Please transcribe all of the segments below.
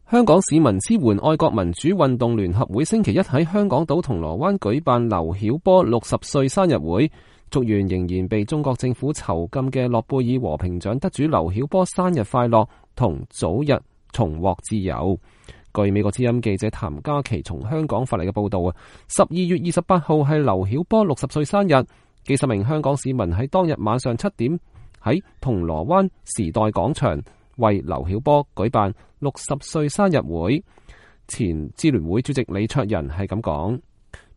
香港市民支援愛國民主運動聯合會星期一喺香港島銅鑼灣舉辦劉曉波60歲生日會，祝願仍然被中國政府囚禁嘅諾貝爾和平獎得主劉曉波生日快樂，同早日重獲自由。據美國之音記者譚嘉琪從香港發嚟嘅報道，12月28號係劉曉波60歲生日，幾十名香港市民喺當日晚上7點喺銅鑼灣時代廣場為劉曉波舉辦60歲生日會。前支聯會主席李卓人係咁講，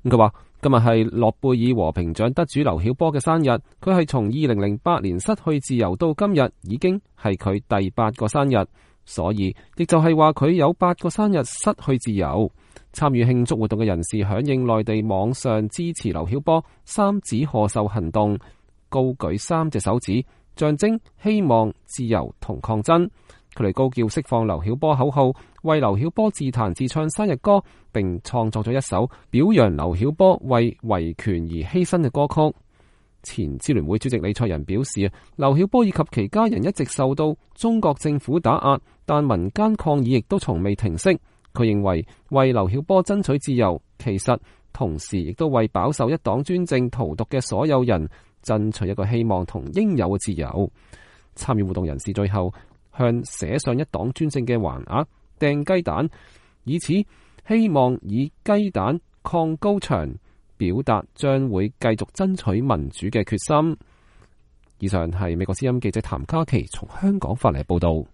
佢話今日係諾貝爾和平獎得主劉曉波嘅生日，佢係從2008年失去自由到今日，已經係佢第8個生日，所以亦就係話佢有8個生日失去自由。參與慶祝活動嘅人士響應內地網上支持劉曉波3指賀壽行動，高舉3隻手指，象徵希望、自由同抗爭。佢哋高叫釋放劉曉波口號，為劉曉波自彈自唱生日歌，並創作咗一首表揚劉曉波為維權而犧牲嘅歌曲。前支聯會主席李卓人表示，劉曉波以及其家人一直受到中國政府打壓，但民間抗議亦都從未停息。佢認為劉曉波爭取自由，其實同時亦都為飽受一黨專政荼毒嘅所有人爭取一個希望同應有嘅自由。參與活動人士最後向寫上一黨專政嘅橫額掟雞蛋，以此希望以雞蛋抗高牆，表達將會繼續爭取民主嘅決心。以上係美國之音記者譚嘉琪從香港發嚟報道。